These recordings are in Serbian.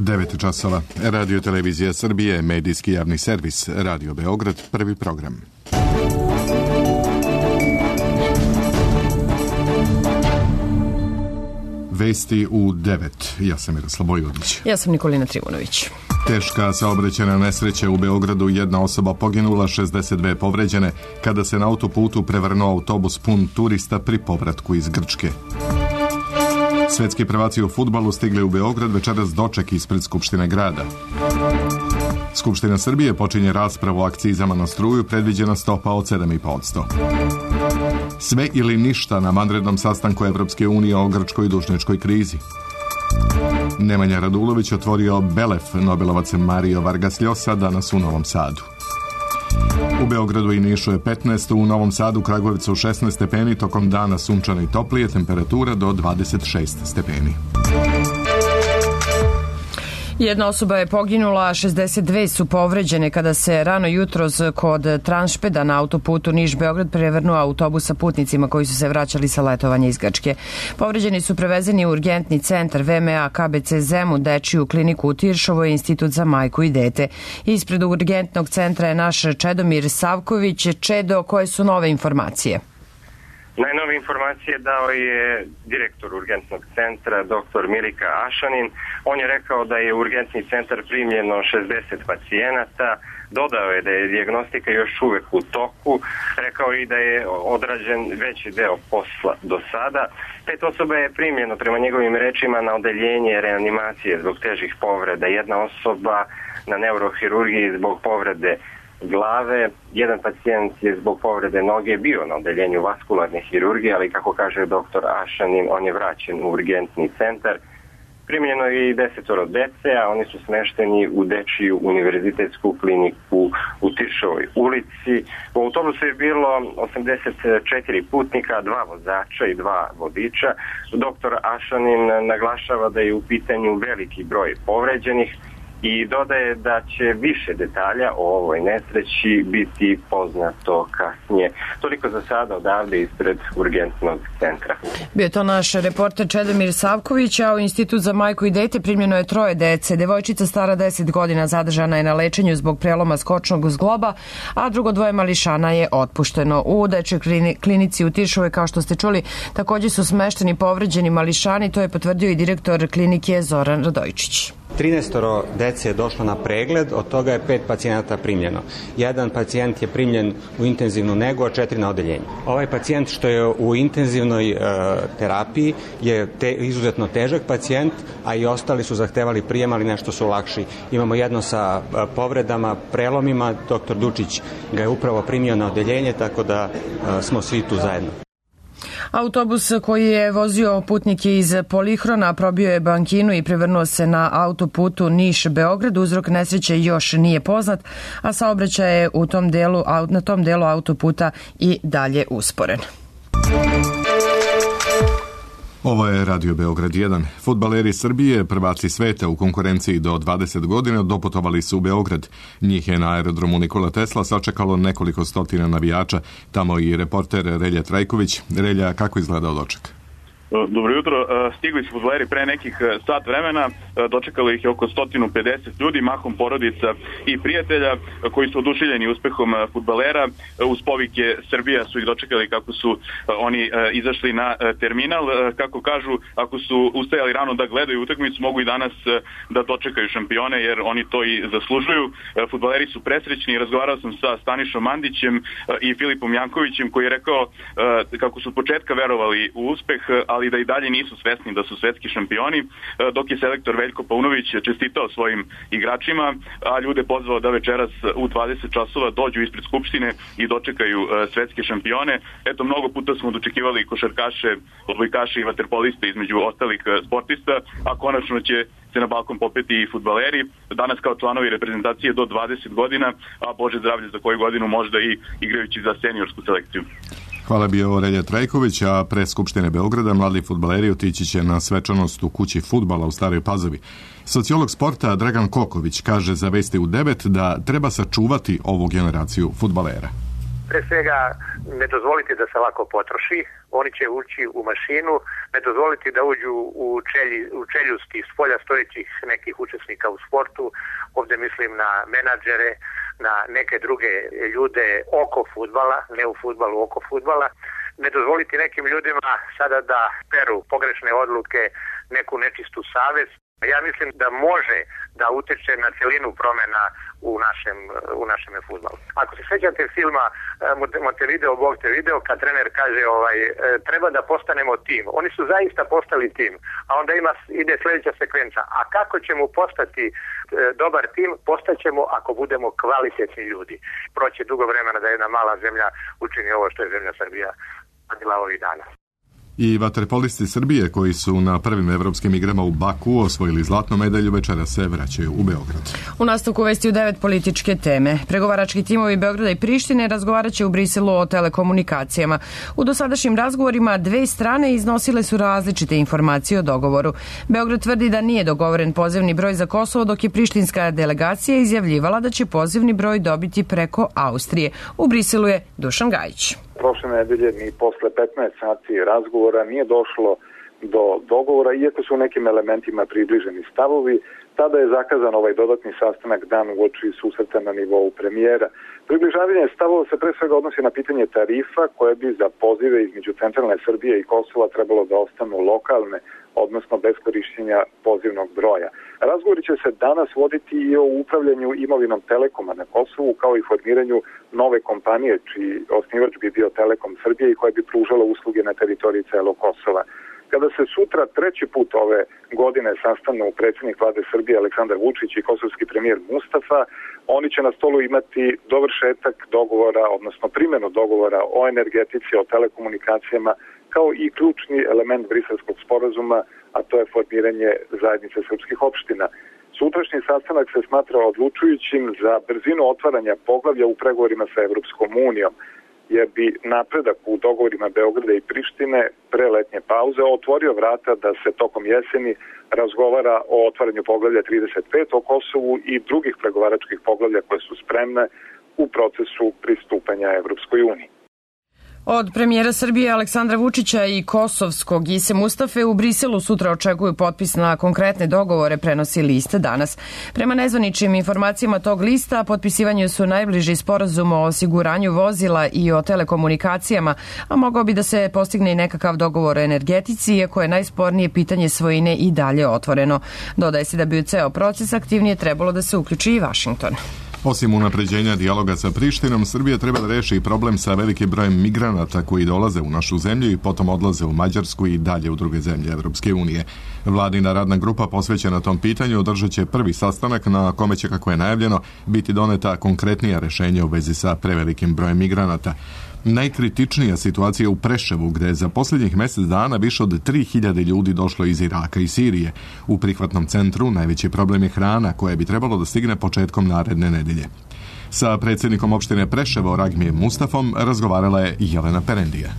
9 časova. Radio Televizija Srbije, medijski javni servis, Radio Beograd, prvi program. Vesti u 9. Ja sam Miroslav Vojvodić. Ja sam Nikolina Trivunović. Teška saobraćajna nesreća u Beogradu, jedna osoba poginula, 62 povređene, kada se na autoputu prevrnuo autobus pun turista pri povratku iz Grčke. Svetski prvaci u fudbalu stigli u Beograd večeras doček ispred Skupštine grada. Skupština Srbije počinje raspravu o akcizama na struju, predviđena stopa od 7,5%. Sve ili ništa na vanrednom sastanku Evropske unije o grčkoj dužničkoj krizi. Nemanja Radulović otvorio Belef, Nobelovac Mario Vargas Llosa danas u Novom Sadu. U Beogradu i Nišu je 15, u Novom Sadu, Kragujevcu 16 stepeni, tokom dana sunčano i toplije, temperatura do 26 stepeni. Jedna osoba je poginula, 62 su povređene kada se rano jutros kod Tranšpeda na autoputu Niš-Beograd prevrnuo autobus sa putnicima koji su se vraćali sa letovanja iz Grčke. Povređeni su prevezeni u urgentni centar VMA KBC Zemun, dečiju kliniku u Tiršovoj i Institut za majku i dete. Ispred urgentnog centra je naš Čedomir Savković. Čedo, koje su nove informacije? Najnove informacije dao je direktor urgentnog centra, dr. Milika Ašanin. On je rekao da je u urgentni centar primljeno 60 pacijenata. Dodao je da je dijagnostika još uvek u toku. Rekao je i da je odrađen veći deo posla do sada. 5 osoba je primljeno, prema njegovim rečima, na odeljenje reanimacije zbog težih povreda. Jedna osoba na neurohirurgiji zbog povrede glave. Jedan pacijent je zbog povrede noge bio na odeljenju vaskularne hirurgije, ali kako kaže dr. Ašanin, on je vraćen u urgentni centar. Primljeno je i 10 dece, a oni su smešteni u dečiju univerzitetsku kliniku u Tiršovoj ulici. U autobusu je bilo 84 putnika, 2 vozača i 2 vodiča. Dr. Ašanin naglašava da je u pitanju veliki broj povređenih i dodaje da će više detalja o ovoj nesreći biti poznato kasnije. Toliko za sada odavde ispred urgentnog centra. Bio je to naš reporter Čedomir Savković, a u Institut za majku i dete primljeno je 3 dece. Devojčica stara 10 godina zadržana je na lečenju zbog preloma skočnog zgloba, a drugo 2 mališana je otpušteno. U dečjoj klinici u Tiršovoj, kao što ste čuli, također su smešteni povređeni mališani, to je potvrdio i direktor klinike Zoran Radojčić. 13 dece je došlo na pregled, od toga je 5 pacijenata primljeno. Jedan pacijent je primljen u intenzivnu negu, a 4 na odeljenju. Ovaj pacijent što je u intenzivnoj terapiji je izuzetno težak pacijent, a i ostali su zahtevali prijem, ali nešto su lakši. Imamo jedno sa povredama, prelomima, dr. Dučić ga je upravo primio na odeljenje, tako da smo svi tu zajedno. Autobus koji je vozio putnike iz Polihrona probio je bankinu i prevrnuo se na autoputu Niš-Beograd. Uzrok nesreće još nije poznat, a saobraćaj je na tom delu autoputa i dalje usporen. Ovo je Radio Beograd 1. Fudbaleri Srbije, prvaci sveta u konkurenciji do 20 godina, doputovali su u Beograd. Njih je na aerodromu Nikola Tesla sačekalo nekoliko stotina navijača. Tamo i reporter Relja Trajković. Relja, kako izgledao doček? Dobro jutro, stigli su fudbaleri pre nekih sat vremena, dočekalo ih je oko 150 ljudi, mahom porodica i prijatelja koji su oduševljeni uspehom fudbalera. Uz povike Srbija su ih dočekali kako su oni izašli na terminal. Kako kažu, ako su ustajali rano da gledaju utakmicu, mogu i danas da dočekaju šampione jer oni to i zaslužuju. Fudbaleri su presrećni, razgovarao sam sa Stanišom Mandićem i Filipom Jankovićem koji je rekao kako su od početka verovali u uspeh, ali da i dalje nisu svesni da su svetski šampioni, dok je selektor Veljko Paunović čestitao svojim igračima, a ljude pozvao da večeras u 20 časova dođu ispred Skupštine i dočekaju svetske šampione. Eto, mnogo puta smo dočekivali košarkaše, odbojkaše i vaterpoliste između ostalih sportista, a konačno će se na balkon popeti i fudbaleri. Danas kao članovi reprezentacije do 20 godina, a Bože zdravlje za koju godinu možda i igrajući za seniorsku selekciju. Hvala bio Relja Trajković, a pre Skupštine Beograda mladi fudbaleri otići će na svečanost u kući fudbala u Staroj Pazovi. Sociolog sporta Dragan Koković kaže za Vesti u 9 da treba sačuvati ovu generaciju fudbalera. Pre svega, ne dozvoliti da se lako potroši, oni će ući u mašinu, ne dozvoliti da uđu u čeljusti spolja stojećih nekih učesnika u sportu, ovdje mislim na menadžere, na neke druge ljude oko fudbala, ne u fudbalu, oko fudbala, ne dozvoliti nekim ljudima sada da peru pogrešne odluke, neku nečistu savest. Ja mislim da može da utiče na celinu promena u našem fudbalu. Ako se sjećate filma Montevideo, Bog te video, kad trener kaže treba da postanemo tim. Oni su zaista postali tim, a onda ide sljedeća sekvenca. A kako ćemo postati dobar tim? Postaćemo ako budemo kvalitetni ljudi. Proće dugo vremena da jedna mala zemlja učini ovo što je zemlja Srbija radila ovih dana. I vaterpolisti Srbije koji su na prvim evropskim igrama u Baku osvojili zlatnu medalju večera se vraćaju u Beograd. U nastavku vesti u 9 političke teme. Pregovarački timovi Beograda i Prištine razgovarat će u Briselu o telekomunikacijama. U dosadašnjim razgovorima dve strane iznosile su različite informacije o dogovoru. Beograd tvrdi da nije dogovoren pozivni broj za Kosovo, dok je prištinska delegacija izjavljivala da će pozivni broj dobiti preko Austrije. U Briselu je Dušan Gajić. Prošle nedelje ni posle 15 sati razgovora nije došlo do dogovora, iako su u nekim elementima približeni stavovi. Tada je zakazan ovaj dodatni sastanak dan uoči susreta na nivou premijera. Približavanje stavova se pre svega odnosi na pitanje tarifa koje bi za pozive između centralne Srbije i Kosova trebalo da ostanu lokalne, odnosno bez korišćenja pozivnog broja. Razgovori će se danas voditi i o upravljanju imovinom Telekoma na Kosovu, kao i formiranju nove kompanije, čiji osnivač bi bio Telekom Srbije i koja bi pružala usluge na teritoriji celog Kosova. Kada se sutra treći put ove godine sastanu predsjednik vlade Srbije Aleksandar Vučić i kosovski premijer Mustafa, oni će na stolu imati dovršetak dogovora, odnosno primjenu dogovora o energetici, o telekomunikacijama, kao i ključni element briselskog sporazuma, a to je formiranje zajednice srpskih opština. Sutrašnji sastanak se smatra odlučujućim za brzinu otvaranja poglavlja u pregovorima sa Evropskom unijom, jer bi napredak u dogovorima Beograda i Prištine pre letnje pauze otvorio vrata da se tokom jeseni razgovara o otvaranju poglavlja 35 o Kosovu i drugih pregovaračkih poglavlja koje su spremne u procesu pristupanja Evropskoj uniji. Od premijera Srbije Aleksandra Vučića i kosovskog Ise Mustafe u Briselu sutra očekuju potpis na konkretne dogovore, prenosi list Danas. Prema nezvaničnim informacijama tog lista, potpisivanju su najbliži sporazum o osiguranju vozila i o telekomunikacijama, a mogao bi da se postigne i nekakav dogovor o energetici, iako je najspornije pitanje svojine i dalje otvoreno. Dodaje se da bi u ceo proces aktivnije trebalo da se uključi i Vašington. Osim unapređenja dijaloga sa Prištinom, Srbija treba da reši i problem sa velikim brojem migranata koji dolaze u našu zemlju i potom odlaze u Mađarsku i dalje u druge zemlje Evropske unije. Vladina radna grupa posvećena tom pitanju održat će prvi sastanak na kome će, kako je najavljeno, biti doneta konkretnija rešenja u vezi sa prevelikim brojem migranata. Najkritičnija situacija u Preševu, gde je za posljednjih mjesec dana više od 3000 ljudi došlo iz Iraka i Sirije. U prihvatnom centru najveći problem je hrana, koja bi trebalo da stigne početkom naredne nedelje. Sa predsjednikom opštine Preševo, Ragmijem Mustafom, razgovarala je Jelena Perendija.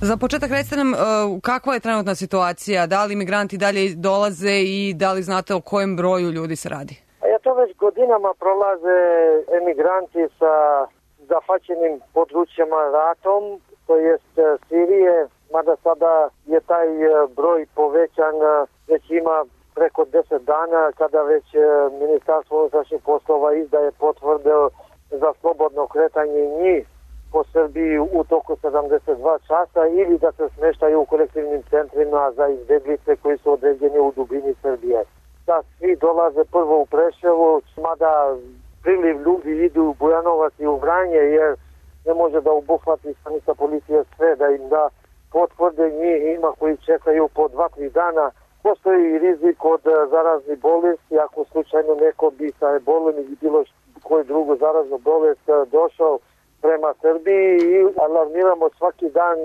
Za početak recite nam kakva je trenutna situacija, da li migranti dalje dolaze i da li znate o kojem broju ljudi se radi? To već godinama prolaze emigranti sa zahvaćenim područjima ratom, to jest Sirije, mada sada je taj broj povećan, već ima preko 10 dana kada već Ministarstvo unutrašnjih poslova izdaje potvrde za slobodno kretanje njih po Srbiji u toku 72 časa ili da se smeštaju u kolektivnim centrima za izbjeglice koji su određeni u dubini Srbije. Da svi dolaze prvo u Preševo, mada priliv ljudi idu u Bujanovac i u Vranje, jer ne može da obuhvati stanica policije sve, da im da potvrde, njih ima koji čekaju po 2-3 dana. Postoji i rizik od zaraznih bolesti, ako slučajno neko bi sa ebolom ili bilo koju drugu zaraznu bolest došao prema Srbiji i alarmiramo svaki dan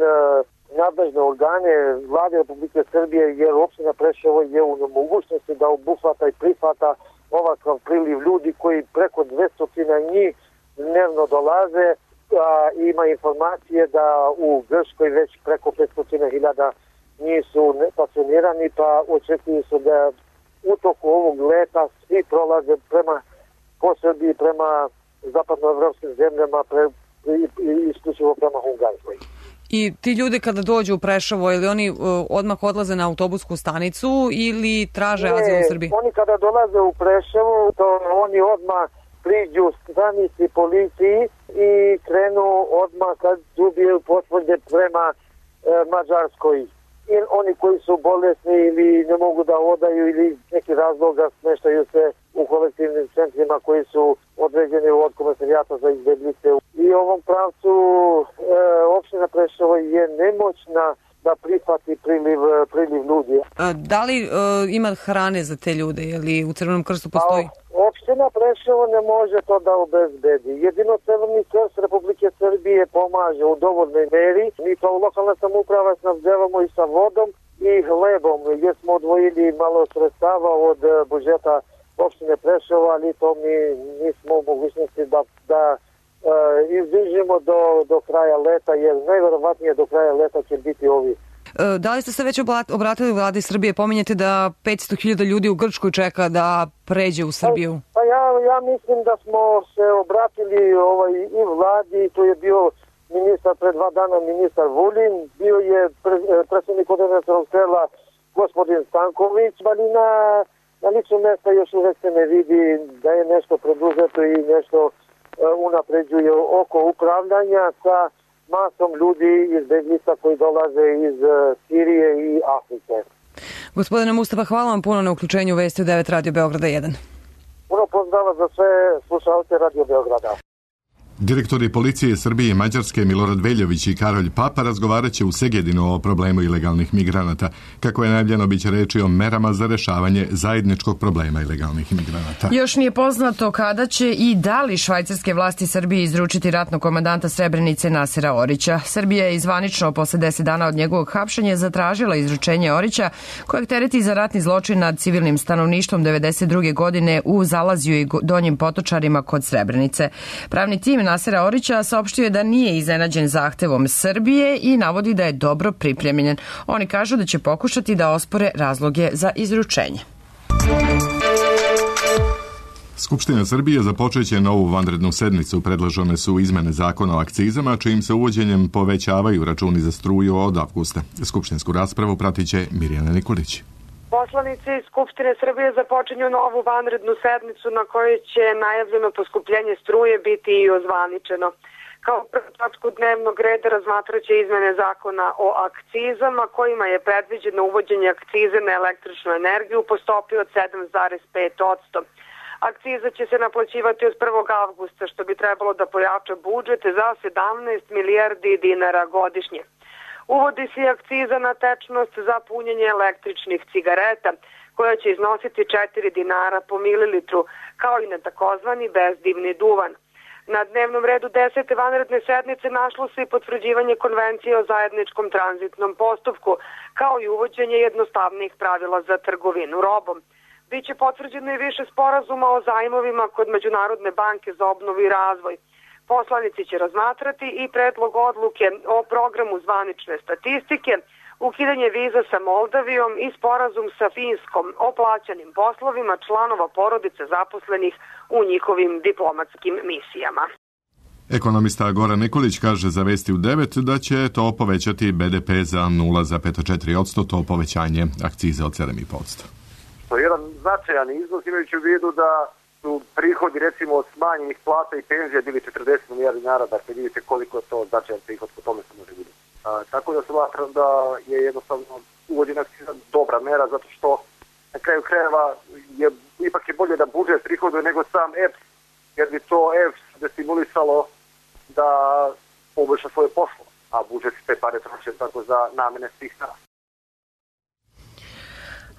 nadležne organe vlade Republike Srbije, jer opština Preševo je u nemogućnosti da obuhvata i prihvata ovakav priliv ljudi koji preko 200 njih dnevno dolaze. Ima informacije da u Grčkoj već preko 500.000 njih su pasionirani, pa očekuju se da u toku ovog leta svi prolaze po Srbiji, prema zapadnoevropskim zemljama isključivo prema Hungarskoj. I ti ljudi kada dođu u Preševo, ili oni odmah odlaze na autobusku stanicu ili traže azil u Srbiji? Oni kada dolaze u Preševo, to oni odmah priđu stanici policiji i krenu odmah kad dobiju potvrde prema Mađarskoj. I oni koji su bolesni ili ne mogu da odaju ili neki razloga smeštaju se u kolektivnim centrima koji su određeni od Komesarijata za izbjeglice. I u ovom pravcu opština Preševo je nemoćna da prihvati priliv ljudi. Da li ima hrane za te ljude ili u Crvenom krstu postoji? Opština Preševo ne može to da obezbedi. Jedino Crveni krst Republike Srbije pomaže u dovoljnoj meri. Mi kao lokalna samouprava snabdevamo i sa vodom i hlebom, jer smo odvojili malo sredstava od budžeta opštine Preševo, ali to mi nismo u mogućnosti da izdržimo do kraja leta, jer najverovatnije do kraja leta će biti ovi. Da li ste se već obratili vladi Srbije? Pominjete da 500.000 ljudi u Grčkoj čeka da pređe u Srbiju. Pa ja mislim da smo se obratili i vladi, tu je bio ministar pred 2 dana, ministar Vulin, bio je predsjednik koordinacionog tela gospodin Stanković, ali na ličnom mesta još uvek se ne vidi da je nešto preduzeto i nešto unapređuje oko upravljanja sa masom ljudi iz bezlica koji dolaze iz Sirije i Afrike. Gospodine Mustafa, hvala vam puno na uključenju Vesti u 9 Radio Beograda 1. Puno pozdrava za sve slušalce Radio Beograda. Direktori policije Srbije i Mađarske Milorad Veljović i Karolj Papa razgovarat će u Segedinu o problemu ilegalnih migranata. Kako je najavljeno, bit će reči o merama za rešavanje zajedničkog problema ilegalnih migranata. Još nije poznato kada će i da li švajcarske vlasti Srbije izručiti ratnog komandanta Srebrenice Nasera Orića. Srbija je zvanično posle 10 dana od njegovog hapšenja zatražila izručenje Orića, kojeg tereti za ratni zločin nad civilnim stanovništvom 1992. godine u Zalaziju i Donjim Potočarima kod Srebrenice. Pravni tim Nasera Orića saopštio je da nije iznenađen zahtevom Srbije i navodi da je dobro pripremljen. Oni kažu da će pokušati da ospore razloge za izručenje. Skupština Srbije započeće novu vanrednu sednicu. Predložene su izmene zakona o akcizama, čijim se uvođenjem povećavaju računi za struju od avgusta. Skupštinsku raspravu pratit će Mirjana Nikolić. Poslanici Skupštine Srbije započinju novu vanrednu sednicu na kojoj će najavljeno poskupljenje struje biti i ozvaničeno. Kao prvu tačku dnevnog reda razmatraće izmene zakona o akcizama, kojima je predviđeno uvođenje akcize na električnu energiju po stopi od 7,5%. Akciza će se naplaćivati od 1. avgusta, što bi trebalo da pojača budžet za 17 milijardi dinara godišnje. Uvodi se akciza na tečnost za punjenje električnih cigareta, koja će iznositi 4 dinara po mililitru, kao i na takozvani bezdimni duvan. Na dnevnom redu 10. vanredne sednice našlo se i potvrđivanje konvencije o zajedničkom tranzitnom postupku, kao i uvođenje jednostavnih pravila za trgovinu robom. Biće potvrđeno i više sporazuma o zajmovima kod Međunarodne banke za obnovu i razvoj. Poslanici će razmatrati i predlog odluke o programu zvanične statistike, ukidanje viza sa Moldavijom i sporazum sa Finskom o plaćanim poslovima članova porodice zaposlenih u njihovim diplomatskim misijama. Ekonomista Goran Nikolić kaže za Vesti u 9 da će to povećati BDP za 0,4%, to povećanje akcize od 7,5%. To je jedan značajan iznos, imajući u vidu da su prihodi recimo od smanjenih plata i penzija bili 40 milijardi dinara, dakle vidite koliko je to značajan prihod, po tome se može vidjeti. Tako da smatram da je jednostavno uvođena akciza dobra mera, zato što na kraju krajeva ipak je bolje da budžet prihoduje nego sam EPS, jer bi to EPS destimulisalo da poboljša svoje poslo, a budžet te pare troše tako za namene svih nas.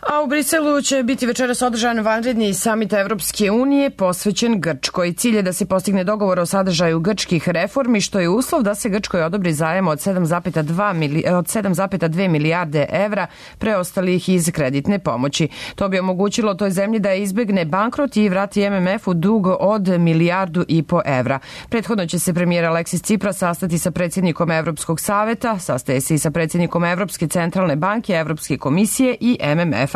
A u Briselu će biti večeras održan vanredni samit Evropske unije posvećen Grčkoj. Cilj je da se postigne dogovor o sadržaju grčkih reformi, što je uslov da se Grčkoj odobri zajam od 7,2 milijarde evra preostalih iz kreditne pomoći. To bi omogućilo toj zemlji da izbegne bankrot i vrati MMF-u dug od 1,5 milijardu evra. Prethodno će se premijer Aleksis Tsipras sastati sa predsjednikom Evropskog saveta, sastaje se i sa predsjednikom Evropske centralne banke, Evropske komisije i MMF.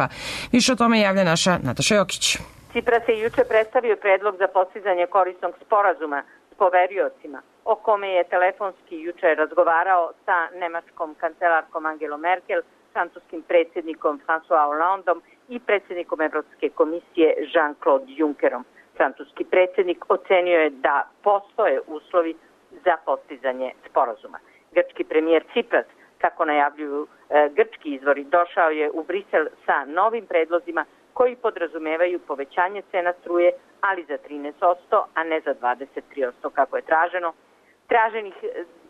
Više o tome javlja naša Nataša Jokić. Tsipras je juče predstavio predlog za postizanje korisnog sporazuma s poveriocima, o kome je telefonski juče razgovarao sa nemačkom kancelarkom Angelom Merkel, francuskim predsjednikom François Hollandom i predsjednikom Evropske komisije Jean-Claude Junckerom. Francuski predsjednik ocenio je da postoje uslovi za postizanje sporazuma. Grčki premijer Cipras, kako najavljuju grčki izvori, došao je u Brisel sa novim predlozima koji podrazumevaju povećanje cena struje, ali za 13%, a ne za 23% kako je traženo. Traženih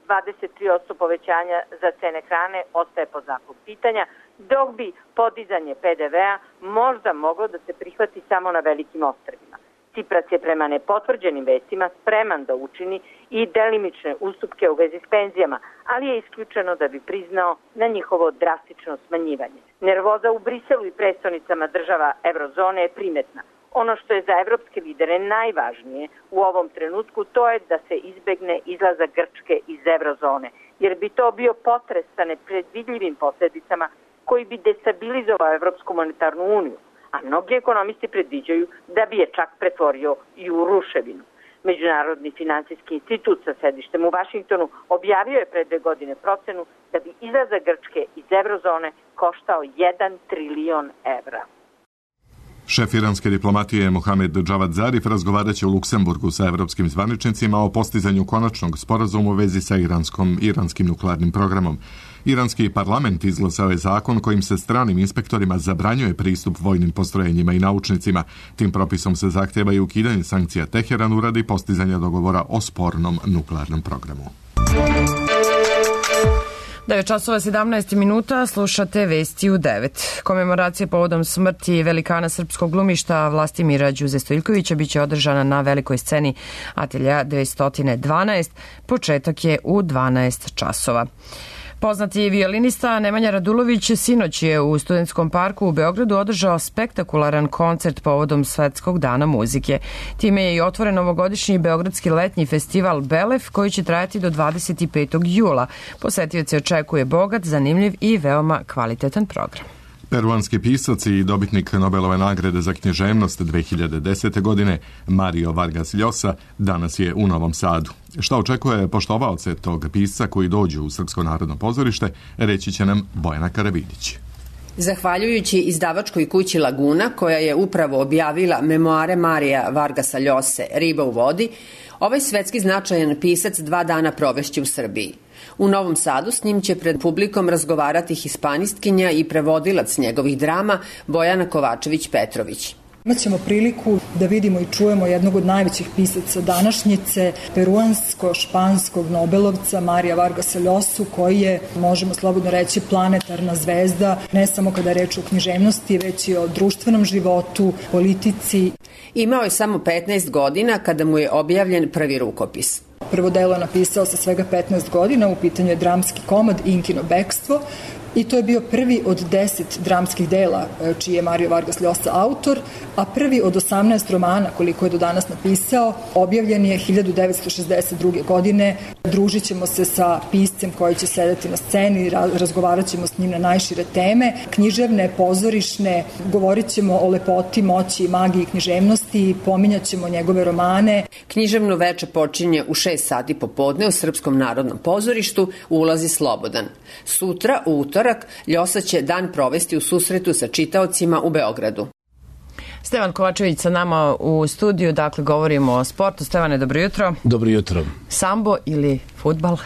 23% povećanja za cene hrane ostaje pod znakom pitanja, dok bi podizanje PDV-a možda moglo da se prihvati samo na velikim ostrvima. Cipras je prema nepotvrđenim vestima spreman da učini i delimične ustupke u vezi s penzijama, ali je isključeno da bi priznao na njihovo drastično smanjivanje. Nervoza u Briselu i prestonicama država eurozone je primetna. Ono što je za evropske lidere najvažnije u ovom trenutku to je da se izbegne izlazak Grčke iz eurozone, jer bi to bio potres sa nepredvidljivim posljedicama koji bi destabilizovao Evropsku monetarnu uniju, a mnogi ekonomisti predviđaju da bi je čak pretvorio i u ruševinu. Međunarodni financijski institut sa sedištem u Vašingtonu objavio je pre 2 godine procenu da bi izlazak Grčke iz eurozone koštao 1 trilion evra. Šef iranske diplomatije Mohamed Javad Zarif razgovarat će u Luksemburgu sa evropskim zvaničnicima o postizanju konačnog sporazuma u vezi sa iranskim nuklearnim programom. Iranski parlament izglasao je zakon kojim se stranim inspektorima zabranjuje pristup vojnim postrojenjima i naučnicima. Tim propisom se zahtjeva i ukidanje sankcija Teheranu radi postizanja dogovora o spornom nuklearnom programu. 9:17 slušate Vesti u 9. Komemoracija povodom smrti velikana srpskog glumišta Vlastimira Đuze Stojiljkovića biće održana na velikoj sceni Atelja 212. Početak je u 12 časova. Poznati violinista Nemanja Radulović sinoć je u Studentskom parku u Beogradu održao spektakularan koncert povodom Svetskog dana muzike. Time je i otvoren ovogodišnji beogradski letnji festival Belef koji će trajati do 25. jula. Posetioce očekuje bogat, zanimljiv i veoma kvalitetan program. Peruanski pisac i dobitnik Nobelove nagrade za književnost 2010. godine Mario Vargas Llosa danas je u Novom Sadu. Šta očekuje poštovaoce tog pisca koji dođu u Srpsko narodno pozorište, reći će nam Bojana Karavidić. Zahvaljujući izdavačkoj kući Laguna, koja je upravo objavila memoare Marija Vargasa Llose Riba u vodi, ovaj svetski značajan pisac 2 dana provešće u Srbiji. U Novom Sadu s njim će pred publikom razgovarati hispanistkinja i prevodilac njegovih drama Bojana Kovačević-Petrović. Imaćemo priliku da vidimo i čujemo jednog od najvećih pisaca današnjice, peruansko-španskog Nobelovca Marija Vargasa Llosu, koji je, možemo slobodno reći, planetarna zvezda, ne samo kada je reč o književnosti, već i o društvenom životu, politici. Imao je samo 15 godina kada mu je objavljen prvi rukopis. Prvo delo je napisao sa svega 15 godina, u pitanju je dramski komad Inkino bekstvo, i to je bio prvi od 10 dramskih dela čiji je Mario Vargas Llosa autor, a prvi od 18 romana koliko je do danas napisao objavljen je 1962. godine. Družit ćemo se sa piscem koji će sedeti na sceni, razgovarat ćemo s njim na najšire teme, književne, pozorišne, govorit ćemo o lepoti, moći, magiji književnosti, pominjat ćemo njegove romane. Književno veče počinje u 6 sati popodne u Srpskom narodnom pozorištu, ulazi slobodan. Sutra, u utorak, Llosa će dan provesti u susretu sa čitaocima u Beogradu. Stevan Kovačević sa nama u studiju, dakle govorimo o sportu. Stevane, dobro jutro. Dobro jutro. Sambo ili fudbal?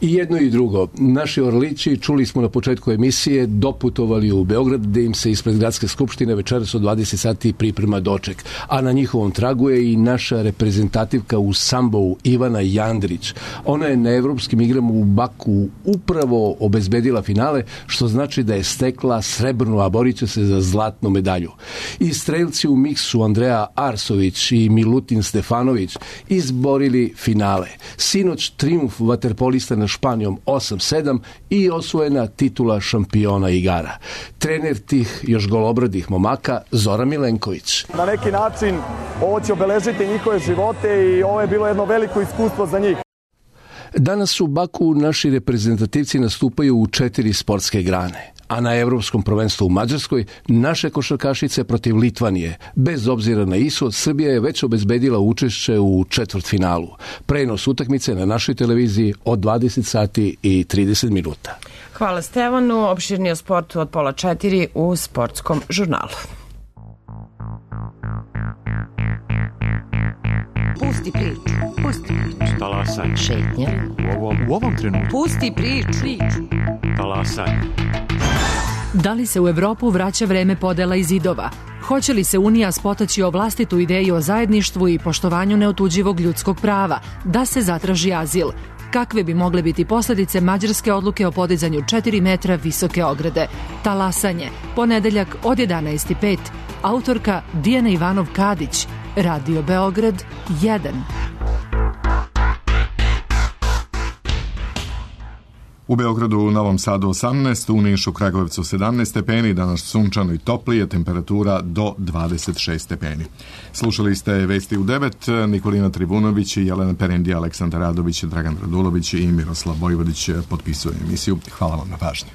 I jedno i drugo. Naši Orlići, čuli smo na početku emisije, doputovali u Beograd gde im se ispred Gradske skupštine večeras od 20 sati priprema doček. A na njihovom tragu je i naša reprezentativka u sambou Ivana Jandrić. Ona je na evropskim igrama u Baku upravo obezbedila finale, što znači da je stekla srebrnu, a borit će se za zlatnu medalju. I strelci u miksu Andreja Arsović i Milutin Stefanović izborili finale. Sinoć trijumf vaterpolista na Španijom 8-7 i osvojena titula šampiona igara. Trener tih još golobradih momaka Zoran Milenković. Na neki način ovo će obeležiti njihove živote i ovo je bilo jedno veliko iskustvo za njih. Danas u Baku naši reprezentativci nastupaju u 4 sportske grane. A na Evropskom prvenstvu u Mađarskoj naše košarkašice protiv Litvanije. Bez obzira na ishod, Srbija je već obezbedila učešće u četvrtfinalu. Prenos utakmice na našoj televiziji od 20 sati i 30 minuta. Hvala Stevanu. Opširnije o sportu od 3:30 u Sportskom žurnalu. Pusti priču. Pusti priču. Talasaj. Šetnja. U ovom trenutku. Pusti priču. Talasaj. Da li se u Evropu vraća vreme podela i zidova? Hoće li se Unija spotaći o vlastitu ideju o zajedništvu i poštovanju neotuđivog ljudskog prava, da se zatraži azil? Kakve bi mogle biti posledice mađarske odluke o podizanju 4 metra visoke ograde? Talasanje. Ponedeljak od 11:05. Autorka Dijana Ivanov-Kadić. Radio Beograd 1. U Beogradu, u Novom Sadu 18, u Nišu, Kragujevcu 17 stepeni, danas sunčano i toplije, temperatura do 26 stepeni. Slušali ste vesti u 9, Nikolina Trivunović, Jelena Perendi, Aleksandar Radović, Dragan Radulović i Miroslav Vojvodić potpisuju emisiju. Hvala vam na pažnji.